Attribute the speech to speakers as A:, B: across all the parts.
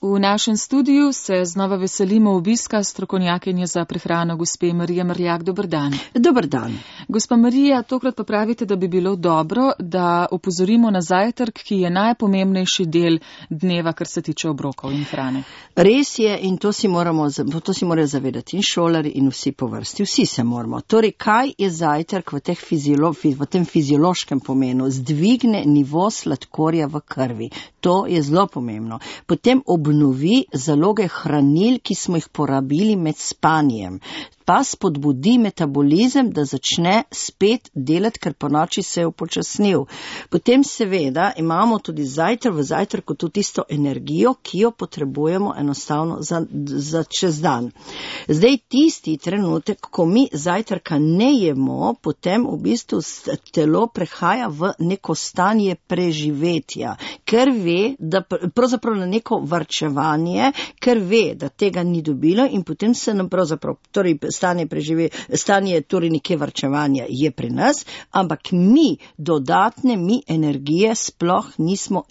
A: V našem studiu se znova veselimo obiska strokovnjakinje za prehrano gospe Marije Mrljak. Dober dan.
B: Dober dan.
A: Gospa Marija, tokrat pa pravite, da bi bilo dobro, da opozorimo na zajtrk, ki je najpomembnejši del dneva, kar se tiče obrokov in hrane.
B: Res je in to si morajo zavedati in šolari in vsi po vrsti. Vsi se moramo. Torej, kaj je zajtrk v tem fiziološkem pomenu? Zdvigne nivo sladkorja v krvi. To je zelo pomembno. Potem obnovi zaloge hranil, ki smo jih porabili med spanjem. Pa spodbudi metabolizem, da začne spet delati, ker po noči se je upočasnil. Potem seveda imamo tudi v zajtrku tudi tisto energijo, ki jo potrebujemo enostavno za čez dan. Zdaj tisti trenutek, ko mi zajtrka ne jemo, potem v bistvu telo prehaja v neko stanje preživetja, ker ve, da pravzaprav na neko varčevanje, ker ve, da tega ni dobilo in potem se nam pravzaprav, torej stanje torej neke varčevanja je pri nas, ampak mi energije sploh nismo,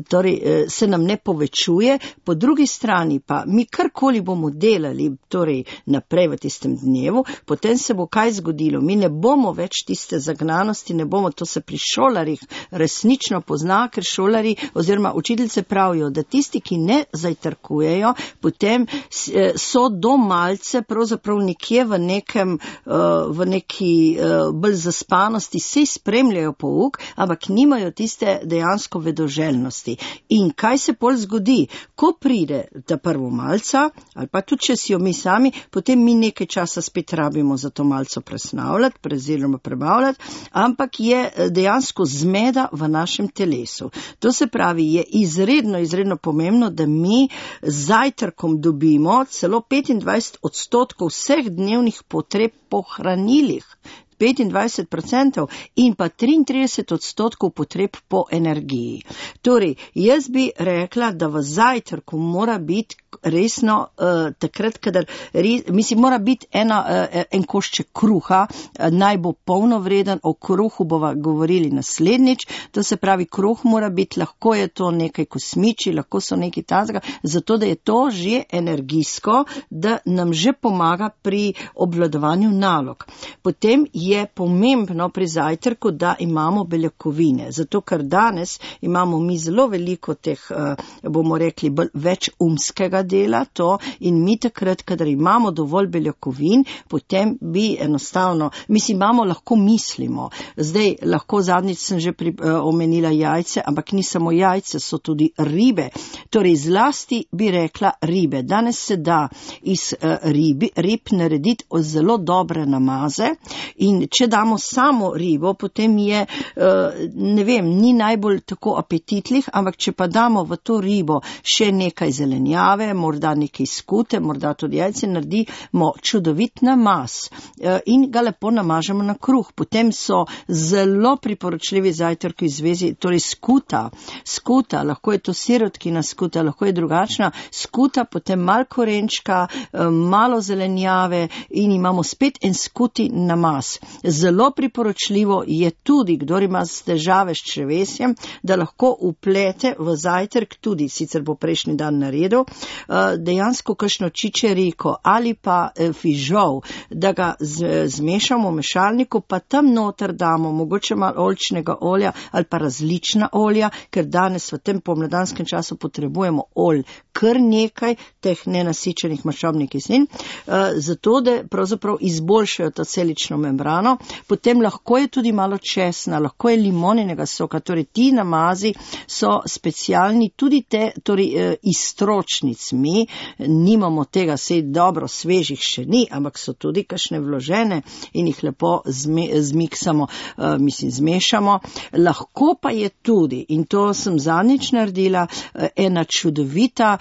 B: torej se nam ne povečuje, po drugi strani pa mi karkoli bomo delali, torej naprej v tistem dnevu, potem se bo kaj zgodilo, mi ne bomo več tiste zagnanosti, ne bomo, to se pri šolarjih resnično pozna, ker šolari oziroma učiteljice pravijo, da tisti, ki ne zajtrkujejo, potem so do malce pravzaprav nekje v neki bolj zaspanosti, se spremljajo pouk, ampak nimajo tiste dejansko vedoželjnosti. In kaj se pol zgodi? Ko pride ta prvo malca, ali pa tudi če si jo mi sami, potem mi nekaj časa spet rabimo za to malco presnavljati, oziroma prebavljati, ampak je dejansko zmeda v našem telesu. To se pravi, je izredno pomembno, da mi z zajtrkom dobimo celo 25% vseh dnevnih potreb po hranilih. 25% in pa 33% potreb po energiji. Torej, jaz bi rekla, da v zajtrku mora biti resno takrat, kadar mora biti en košček kruha, naj bo polnovreden, o kruhu bova govorili naslednjič, to se pravi, kruh mora biti, lahko je to nekaj kosmiči, lahko so nekaj tazga, zato da je to že energijsko, da nam že pomaga pri obvladovanju nalog. Potem je pomembno pri zajtrku, da imamo beljakovine, zato ker danes imamo mi zelo veliko teh, bomo rekli, več umskega dela to in mi takrat, kadar imamo dovolj beljakovin, potem bi enostavno, lahko mislimo. Zdaj, lahko zadnjič sem že omenila jajce, ampak ni samo jajce, so tudi ribe. Torej, zlasti bi rekla ribe. Danes se da iz rib narediti zelo dobre namaze in če damo samo ribo, potem je, ni najbolj tako apetitlih, ampak če pa damo v to ribo še nekaj zelenjave, morda nekaj skute, morda tudi jajce, naredimo čudovit namaz in ga lepo namažemo na kruh. Potem so zelo priporočljivi zajtrki v zvezi, torej skuta, lahko je to sirotkina skuta, lahko je drugačna skuta, potem malo korenčka, malo zelenjave in imamo spet en skuti namaz. Zelo priporočljivo je tudi, kdor ima težave s črevesjem, da lahko uplete v zajtrk tudi, sicer bo prejšnji dan naredil, dejansko kakšno čičeriko ali pa fižol, da ga zmešamo v mešalniku, pa tam noter damo mogoče malo oljčnega olja ali pa različna olja, ker danes v tem pomladanskem času potrebujemo olj kar nekaj teh nenasičenih maščobnih kislin, zato da pravzaprav izboljšajo to celično membrano. Potem lahko je tudi malo česna, lahko je limoninega soka, torej ti namazi so specialni, tudi te, torej iztročnic. Mi nimamo tega, sej dobro, svežih še ni, ampak so tudi kakšne vložene in jih lepo zmešamo. Lahko pa je tudi, in to sem zadnjič naredila, ena čudovita,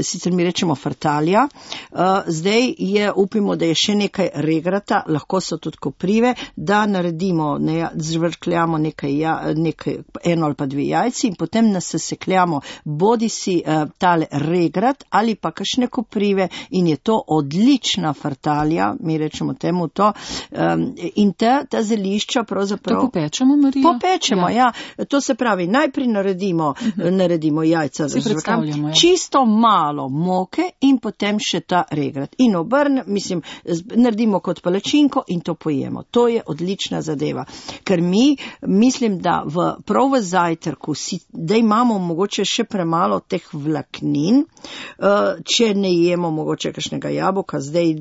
B: sicer mi rečemo frtalja, zdaj je, upimo, da je še nekaj regrata, lahko so tudi koprive, da naredimo, zvrkljamo eno ali pa dve jajci in potem nasesekljamo bodisi tale regrat ali pa kakšne koprive in je to odlična frtalja, mi rečemo temu to, in ta zelišča pravzaprav...
A: To popečemo, Marija?
B: Popečemo, ja. To se pravi, najprej naredimo jajca, čisto malo moke in potem še ta regrat. In naredimo kot palačinko in to pojemo. To je odlična zadeva. Ker mislim, da prav v zajtrku da imamo mogoče še premalo teh vlaknin, če ne jemo mogoče kakšnega jabolka, zdaj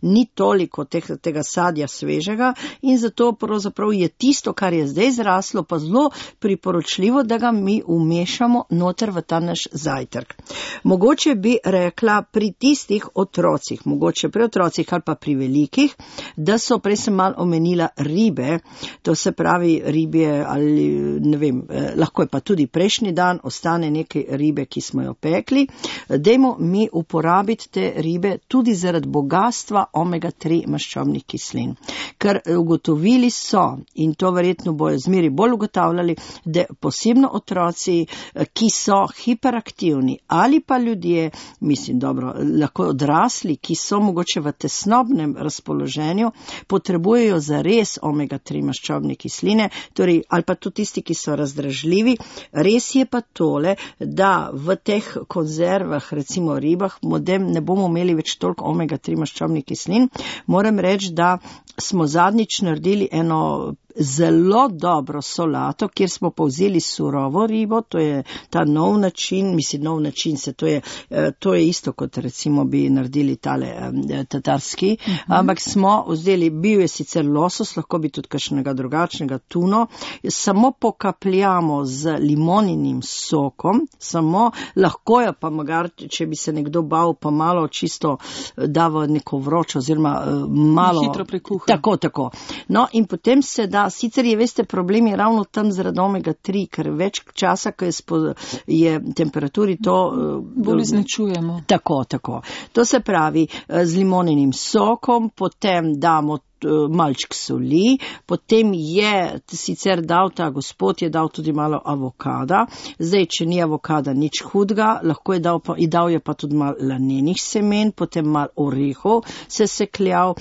B: ni toliko tega sadja svežega in zato pravzaprav je tisto, kar je zdaj zraslo, pa zelo priporočljivo, da ga mi umešamo noter v ta naš zajtrk. Mogoče bi rekla pri tistih otrocih, mogoče pri otrocih ali pa pri velikih, da so, prej sem malo omenila ribe, to se pravi ribje ali ne vem, lahko je pa tudi prejšnji dan, ostane nekaj ribe, ki smo jo pekli, dajmo mi uporabiti te ribe tudi zaradi bogatstva omega-3 maščobnih kislin. Ker ugotovili so, in to verjetno bojo zmeri bolj ugotavljali, da posebno otroci, ki so hiperaktivni ali pa ljudje, lahko odrasli, ki so mogoče v tesnobnem razpoloženju, potrebujejo zares omega-3 maščobne kisline, torej, ali pa tudi tisti, ki so razdražljivi. Res je pa tole, da v teh konzervah, recimo ribah, ne bomo imeli več toliko omega-3 maščobnih kislin. Moram reči, da smo zadnjič naredili eno zelo dobro solato, kjer smo povzeli surovo ribo, to je ta nov način, to je isto kot recimo bi naredili tale tatarski, ampak smo vzeli, bil je sicer losos, lahko bi tudi kakšnega drugačnega tuno, samo pokapljamo z limoninim sokom, lahko je pa magar, če bi se nekdo bal, pa malo čisto dava neko vročo, oziroma malo
A: hitro prekuha.
B: Tako. No, in potem se da, sicer je, veste, problem je ravno tam zaradi omega-3, ker več časa, ko je temperaturi to
A: bolj izničujemo.
B: Tako. To se pravi, z limoninim sokom, potem damo malček soli, potem je sicer ta gospod je dal tudi malo avokada, zdaj, če ni avokada, nič hudga, lahko je dal je pa tudi malo lanenih semen, potem malo orehov se sekljal,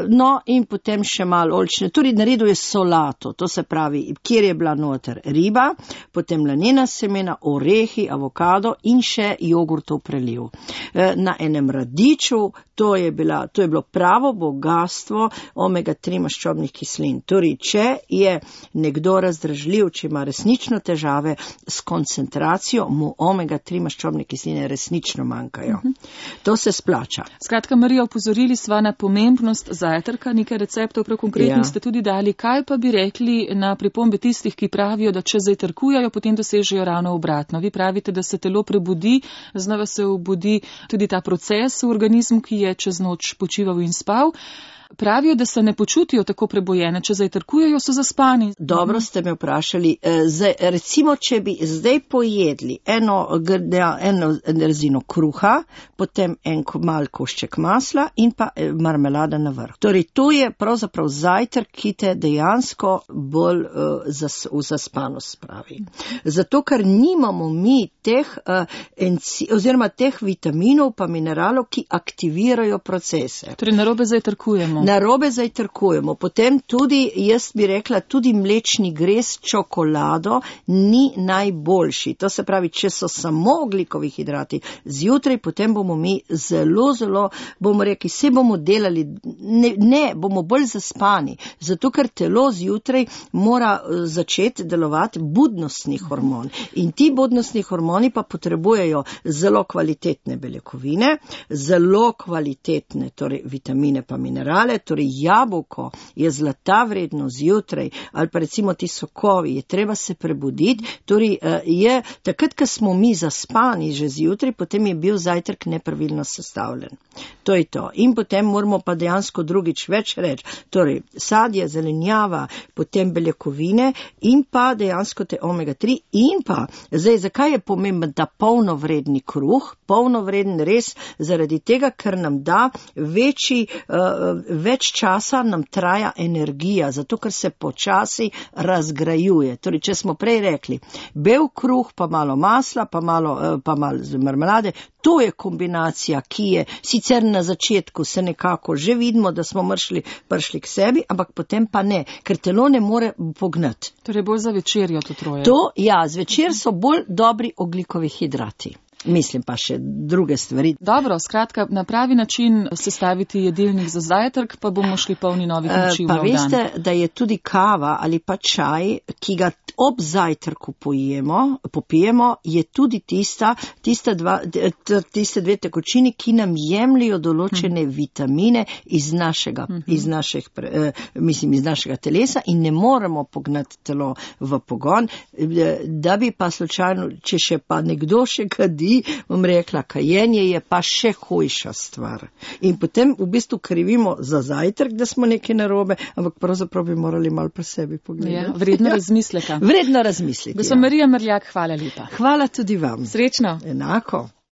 B: no in potem še malo oljčne, tudi naredil je solato, to se pravi, kjer je bila noter riba, potem lanena semena, orehi, avokado in še jogurtov preliv. Na enem radiču, to je bilo pravo bogatstvo omega-3 maščobnih kislin. Torej, če je nekdo razdražljiv, če ima resnično težave s koncentracijo, mu omega-3 maščobne kisline resnično manjkajo. To se splača.
A: Skratka, Marija, opozorili sva na pomembnost zajtrka, nekaj receptov prav konkretno ste tudi dali. Kaj pa bi rekli na pripombe tistih, ki pravijo, da če zajtrkujejo, potem dosežejo ravno obratno? Vi pravite, da se telo prebudi, znova se obudi tudi ta proces v organizmu, ki je čez noč počival in spal. Pravijo, da se ne počutijo tako prebojene, če zajtrkujejo, so zaspani.
B: Dobro ste me vprašali. Recimo, če bi zdaj pojedli eno rezino kruha, potem en mal košček masla in pa marmelada na vrh. Torej, to je pravzaprav zajtrk, ki te dejansko bolj v zaspanost spravi. Zato, ker nimamo mi teh vitaminov pa mineralov, ki aktivirajo procese.
A: Torej, narobe
B: zajtrkujemo. Potem tudi, jaz bi rekla, tudi mlečni grez čokolado ni najboljši. To se pravi, če so samo ogljikovi hidrati zjutraj, potem bomo mi zelo, bomo rekli, se bomo delali, bomo bolj zaspani. Zato, ker telo zjutraj mora začeti delovati budnostni hormon. In ti budnostni hormoni pa potrebujejo zelo kvalitetne beljakovine, zelo kvalitetne, torej vitamine pa minerale, torej jabolko je zlata vredno zjutraj, ali pa recimo ti sokovi, je treba se prebuditi, torej je takrat, ko smo mi zaspani že zjutraj, potem je bil zajtrk nepravilno sestavljen. To je to. In potem moramo pa dejansko drugič več reči. Torej, sadje, zelenjava, potem beljakovine in pa dejansko te omega-3 in pa, zdaj, zakaj je pomemben ta polnovredni kruh? Polnovreden res zaradi tega, ker nam da več časa nam traja energija, zato ker se počasi razgrajuje. Torej, če smo prej rekli, bel kruh, pa malo masla, pa malo marmelade, to je kombinacija, ki je sicer na začetku se nekako že vidimo, da smo prišli k sebi, ampak potem pa ne, ker telo ne more pognati.
A: Torej bolj za večerjo to troje.
B: Zvečer so bolj dobri ogljikovi hidrati. Mislim pa še druge stvari.
A: Dobro, skratka, na pravi način sestaviti jedilnik za zajtrk, pa bomo šli polni novih moči v nov dan.
B: Pa veste, da je tudi kava ali pa čaj, ki ga ob zajtrku popijemo, je tudi tiste dve tekočini, ki nam jemljajo določene vitamine iz našega telesa in ne moremo pognati telo v pogon, da bi pa slučajno, če še pa nekdo še kadi, bom rekla, kajenje je pa še hujša stvar. In potem v bistvu krivimo za zajtrk, da smo nekaj narobe, ampak pravzaprav bi morali malo pri sebi pogledati.
A: Ja, vredno razmisleka.
B: Vredno razmisliti.
A: Gospa Marija Mrljak, hvala lepa.
B: Hvala tudi vam.
A: Srečno.
B: Enako.